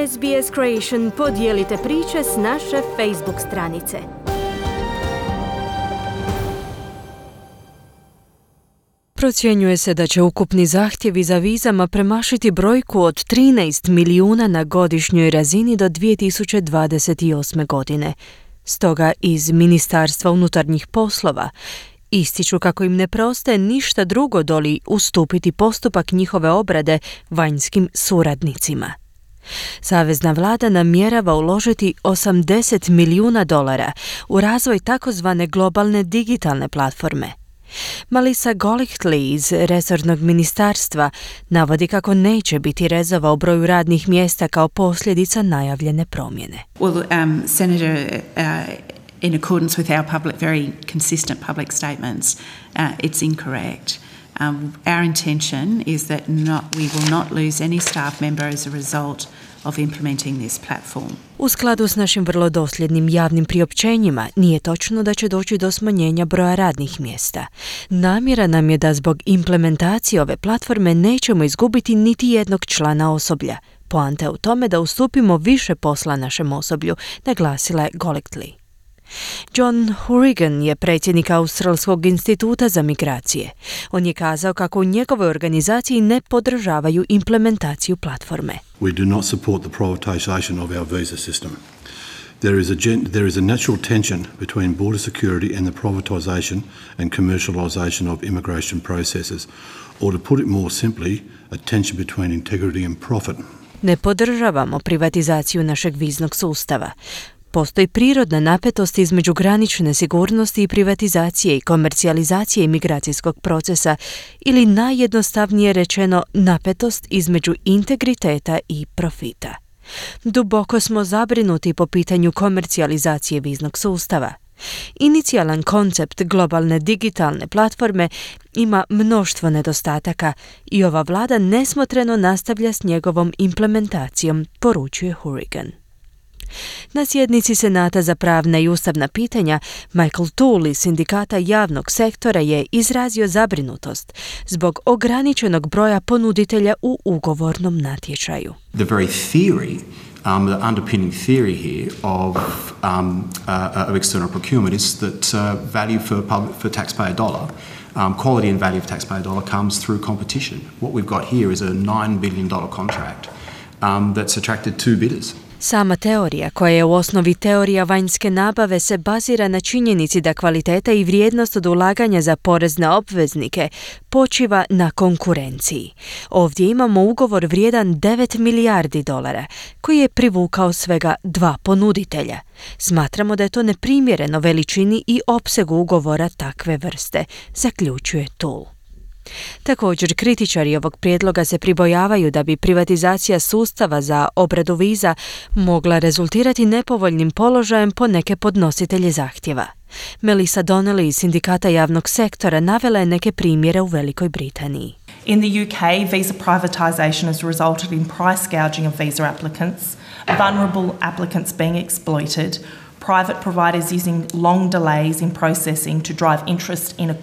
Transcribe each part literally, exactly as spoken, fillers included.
S B S Creation podijelite priče s naše Facebook stranice. Procjenjuje se da će ukupni zahtjevi za vizama premašiti brojku od trinaest milijuna na godišnjoj razini do dvije tisuće dvadeset osme. godine. Stoga iz Ministarstva unutarnjih poslova ističu kako im ne preostaje ništa drugo doli ustupiti postupak njihove obrade vanjskim suradnicima. Savezna vlada namjerava uložiti osamdeset milijuna dolara u razvoj takozvane globalne digitalne platforme. Melissa Golightly iz resornog ministarstva navodi kako neće biti rezova u broju radnih mjesta kao posljedica najavljene promjene. Well, um, Senator, uh, in accordance with our public, very consistent public statements, uh, it's incorrect. Um, our intention is that not, we will not lose any staff member as a result of implementing this platform. U skladu s našim vrlo dosljednim javnim priopćenjima, nije točno da će doći do smanjenja broja radnih mjesta. Namjera nam je da zbog implementacije ove platforme nećemo izgubiti niti jednog člana osoblja. Poanta je u tome da ustupimo više posla našem osoblju, naglasila je Golightly. John Hourigan je predsjednik Australskog instituta za migracije. On je kazao kako u njegovoj organizaciji ne podržavaju implementaciju platforme. We do not support the privatisation of our visa system. There is a gen- there is a natural tension between border security and the privatisation and commercialisation of immigration processes, or to put it more simply, a tension between integrity and profit. Ne podržavamo privatizaciju našeg viznog sustava. Postoji prirodna napetost između granične sigurnosti i privatizacije i komercijalizacije imigracijskog procesa ili najjednostavnije rečeno napetost između integriteta i profita. Duboko smo zabrinuti po pitanju komercijalizacije viznog sustava. Inicijalan koncept globalne digitalne platforme ima mnoštvo nedostataka i ova vlada nesmotreno nastavlja s njegovom implementacijom, poručuje Hourigan. Na sjednici Senata za pravna i ustavna pitanja Michael Toole iz Sindikata javnog sektora je izrazio zabrinutost zbog ograničenog broja ponuditelja u ugovornom natječaju. The very theory, um, the underpinning theory here of, um, uh, of external procurement is that uh, value for, public, for taxpayer dollar, um, quality and value of taxpayer dollar comes through competition. What we've got here is a nine billion dollars contract um, that's attracted two bidders. Sama teorija, koja je u osnovi teorija vanjske nabave, se bazira na činjenici da kvaliteta i vrijednost od ulaganja za porezne obveznike počiva na konkurenciji. Ovdje imamo ugovor vrijedan devet milijardi dolara, koji je privukao svega dva ponuditelja. Smatramo da je to neprimjereno veličini i opsegu ugovora takve vrste, zaključuje Toole. Također, kritičari ovog prijedloga se pribojavaju da bi privatizacija sustava za obradu viza mogla rezultirati nepovoljnim položajem po neke podnositelje zahtjeva. Melissa Donnelly iz Sindikata javnog sektora navela je neke primjere u Velikoj Britaniji. In the U K, visa privatisation has resulted in price gouging of visa applicants, vulnerable applicants being exploited, private providers using long delays in processing to drive interest in a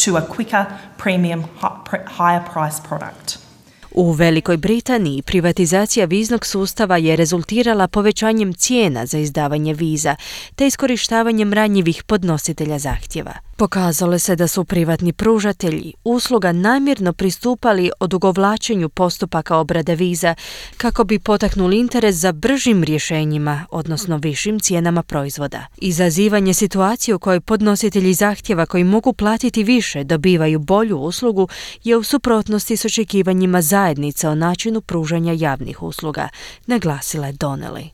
to a quicker, premium, higher price product. U Velikoj Britaniji privatizacija viznog sustava je rezultirala povećanjem cijena za izdavanje viza te iskorištavanjem ranjivih podnositelja zahtjeva. Pokazalo se da su privatni pružatelji usluga namjerno pristupali odugovlačenju postupaka obrade viza kako bi potaknuli interes za bržim rješenjima, odnosno višim cijenama proizvoda. Izazivanje situacije u kojoj podnositelji zahtjeva koji mogu platiti više dobivaju bolju uslugu je u suprotnosti s očekivanjima zajednice o načinu pružanja javnih usluga, naglasila je Donnelly.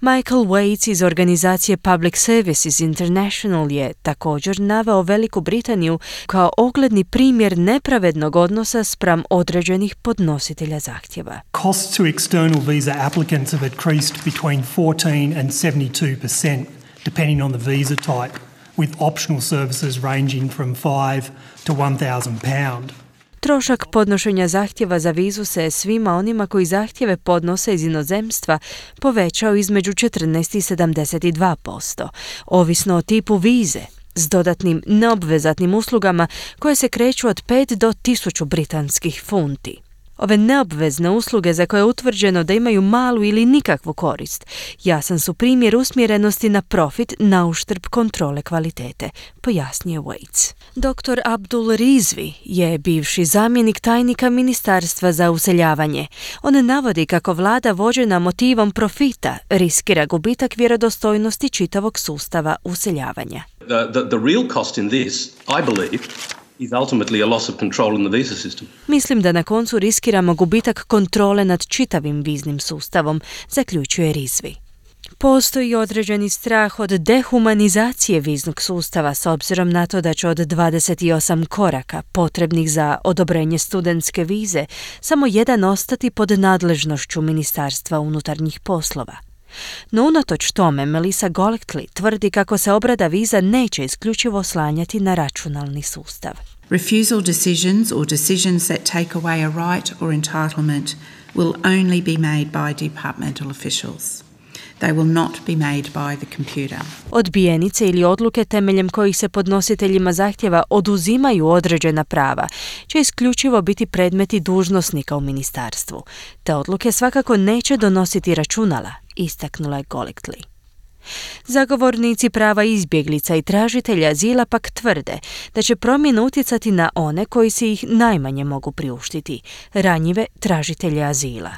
Michael Waits iz organizacije Public Services International je također naveo Veliku Britaniju kao ogledni primjer nepravednog odnosa spram određenih podnositelja zahtjeva. Costs to external visa applicants have increased between fourteen and seventy-two percent depending on the visa type, with optional services ranging from five to one thousand pound. Trošak podnošenja zahtjeva za vizu se svima onima koji zahtjeve podnose iz inozemstva povećao između četrnaest i sedamdeset dva posto, ovisno o tipu vize, s dodatnim neobvezatnim uslugama koje se kreću od pet do tisuću britanskih funti. Ove neobvezne usluge za koje je utvrđeno da imaju malu ili nikakvu korist, jasan su primjer usmjerenosti na profit na uštrb kontrole kvalitete, pojasnio Waits. doktor Abdul Rizvi je bivši zamjenik tajnika Ministarstva za useljavanje. On navodi kako vlada vođena motivom profita riskira gubitak vjerodostojnosti čitavog sustava useljavanja. The, the, the real cost in this, I believe, is ultimately a loss of control in the visa system. Mislim da na koncu riskiramo gubitak kontrole nad čitavim viznim sustavom, zaključuje Rizvi. Postoji određeni strah od dehumanizacije viznog sustava s obzirom na to da će od dvadeset osam koraka potrebnih za odobrenje studentske vize samo jedan ostati pod nadležnošću Ministarstva unutarnjih poslova. No unatoč tome, Melissa Golightly tvrdi kako se obrada viza neće isključivo oslanjati na računalni sustav. Refusal decisions or decisions that take away a right or entitlement will only be made by departmental officials. They will not be made by the computer. Odbijenice ili odluke temeljem kojih se podnositeljima zahtjeva oduzimaju određena prava će isključivo biti predmeti dužnosnika u ministarstvu. Te odluke svakako neće donositi računala, istaknula je Golightly. Zagovornici prava izbjeglica i tražitelja azila pak tvrde da će promjena utjecati na one koji si ih najmanje mogu priuštiti, ranjive tražitelje azila.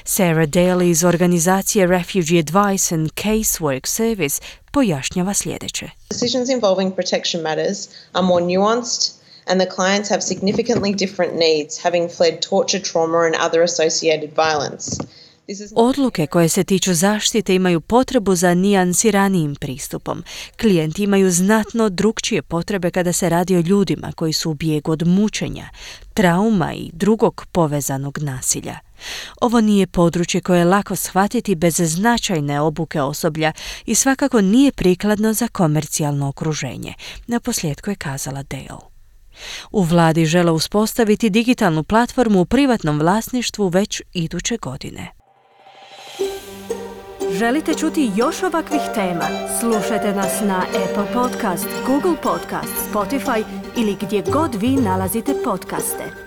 Sarah Daly iz organizacije Refugee Advice and Casework Service pojašnjava sljedeće. Decisions involving protection matters are more nuanced and the clients have significantly different needs, having fled torture, trauma and other associated violence. Odluke koje se tiču zaštite imaju potrebu za nijansiranijim pristupom. Klijenti imaju znatno drukčije potrebe kada se radi o ljudima koji su u bijegu od mučenja, trauma i drugog povezanog nasilja. Ovo nije područje koje je lako shvatiti bez značajne obuke osoblja i svakako nije prikladno za komercijalno okruženje, naposljetku je kazala Dale. U vladi žele uspostaviti digitalnu platformu u privatnom vlasništvu već iduće godine. Želite čuti još ovakvih tema? Slušajte nas na Apple Podcast, Google Podcast, Spotify ili gdje god vi nalazite podcaste.